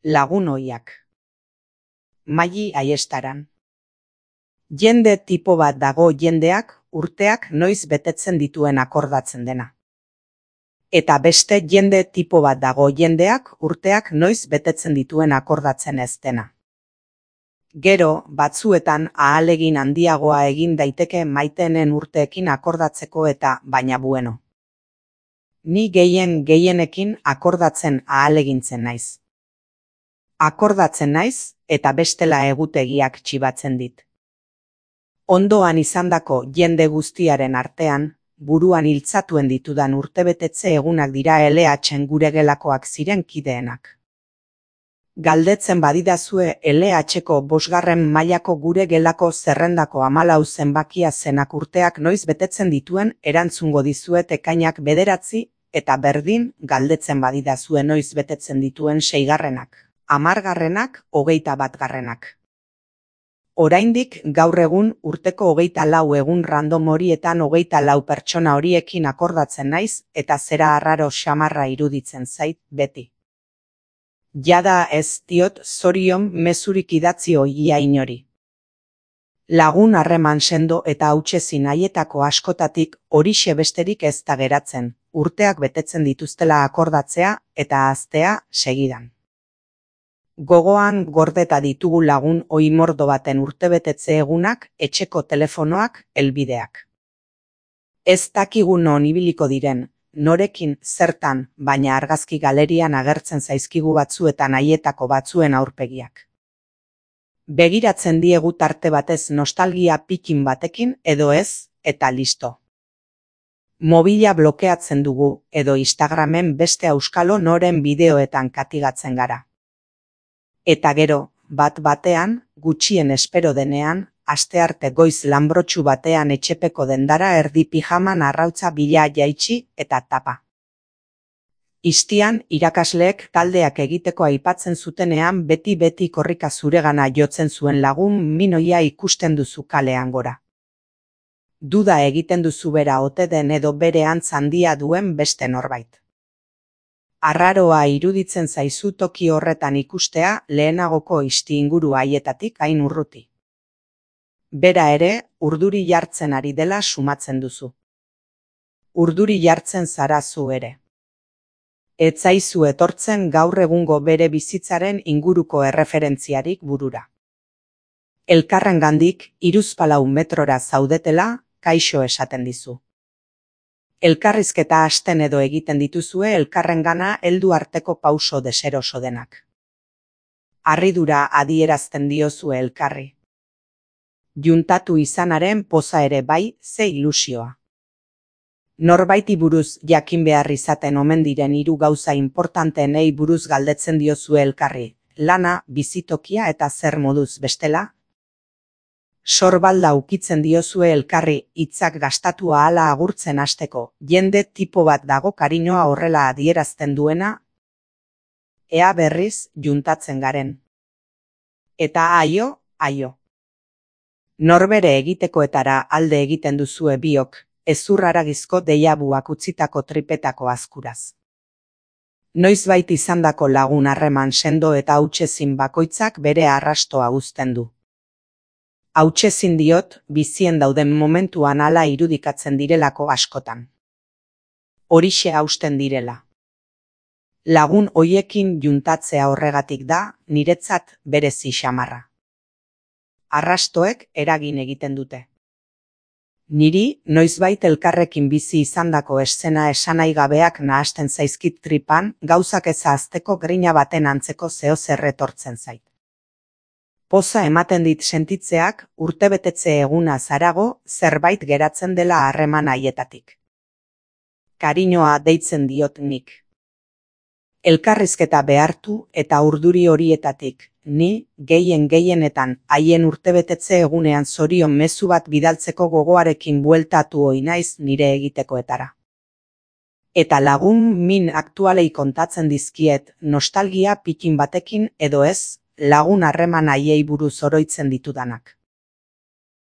Lagun ohiak. Maili Aiestaran. Jende tipo bat dago jendeak urteak noiz betetzen dituen akordatzen dena. Eta beste jende tipo bat dago jendeak urteak noiz betetzen dituen akordatzen ez dena. Gero, batzuetan ahalegin handiagoa egin daiteke maiteenen urteekin akordatzeko eta baina bueno. Ni gehienekin akordatzen ahalegintzen naiz. Akordatzen naiz eta bestela egutegiak txibatzen dit. Ondoan izandako jende guztiaren artean, buruan iltzatuen ditudan urtebetetze egunak dira LH-en gure gelakoak ziren kideenak. Galdetzen badidazue LH-ko 5. mailako gure gelako zerrendako 14 zenbakia zenak urteak noiz betetzen dituen erantzungo dizuet ekainak 9 eta berdin galdetzen badidazue noiz betetzen dituen 6. 10. 21. Oraindik gaur egun urteko 24 egun random horietan 24 pertsona horiekin akordatzen naiz eta zera arraro xamarra iruditzen zait beti. Jada ez diot zorion mezurik idatzi ohia inori. Lagun harreman sendo eta hautsezin haietako askotatik horixe besterik ez da geratzen, urteak betetzen dituztela akordatzea eta ahaztea segidan. Gogoan gordeta ditugu lagun ohi mordo baten urtebetetze egunak, etxeko telefonoak, helbideak. Ez dakigu non ibiliko diren, norekin, zertan, baina argazki galerian agertzen zaizkigu batzuetan haietako batzuen aurpegiak. Begiratzen diegu tarte batez nostalgia pikin batekin edo ez, eta listo. Mobila blokeatzen dugu edo Instagramen beste auskalo noren bideoetan katigatzen gara. Eta gero, bat-batean, gutxien espero denean, astearte goiz lanbrotxu batean etxepeko dendara erdi pijaman arrautza bila jaitsi eta tapa. Iztian, irakasleek taldeak egiteko aipatzen zutenean beti korrika zuregana jotzen zuen lagun minoia ikusten duzu kalean gora. Duda egiten duzu bera ote den edo bere antz handia duen beste norbait. Arraroa iruditzen zaizu toki horretan ikustea lehenagoko izti inguru haietatik hain urruti. Bera ere, urduri jartzen ari dela sumatzen duzu. Urduri jartzen zara zu ere. Ez zaizu etortzen gaur egungo bere bizitzaren inguruko erreferentziarik burura. Elkarrengandik hiruzpalau metrora zaudetela, kaixo esaten dizu. Elkarrizketa hasten edo egiten dituzue elkarrengana heldu arteko pauso deseroso denak. Harridura adierazten diozue elkarri. Juntatu izanaren poza ere bai, ze ilusioa. Norbaiti buruz jakin behar izaten omen diren 3 gauza importanteenei buruz galdetzen diozue elkarri, lana, bizitokia eta zer moduz bestela? Sorbalda ukitzen diozue elkarri hitzak gastatu ahala agurtzen hasteko, jende tipo bat dago kariñoa horrela adierazten duena? Ea berriz juntatzen garen. Eta aio. Norbere egitekoetara alde egiten duzue biok, ezurraragizko deiabuak utzitako tripetako azkuraz. Noizbait izandako lagun harreman sendo eta hautsezin bakoitzak bere arrastoa uzten du. Hautsezin diot, bizien dauden momentuan hala irudikatzen direlako askotan. Horixe hausten direla. Lagun hoiekin juntatzea horregatik da, niretzat berezi xamarra. Arrastoek eragin egiten dute. Niri, noizbait elkarrekin bizi izandako eszena esanai gabeak nahasten zaizkit tripan, gauzak ez ahazteko grina baten antzeko zeozer etortzen zait. Poza ematen dit sentitzeak urtebetetze eguna zarago zerbait geratzen dela harreman haietatik. Kariñoa deitzen diot nik. Elkarrizketa behartu eta urduri horietatik, ni gehienetan haien urtebetetze egunean zorion mezu bat bidaltzeko gogoarekin bueltatu ohi naiz nire egitekoetara. Eta lagun min aktualei kontatzen dizkiet nostalgia pikin batekin edo ez, lagun harreman haiei buruz oroitzen ditudanak.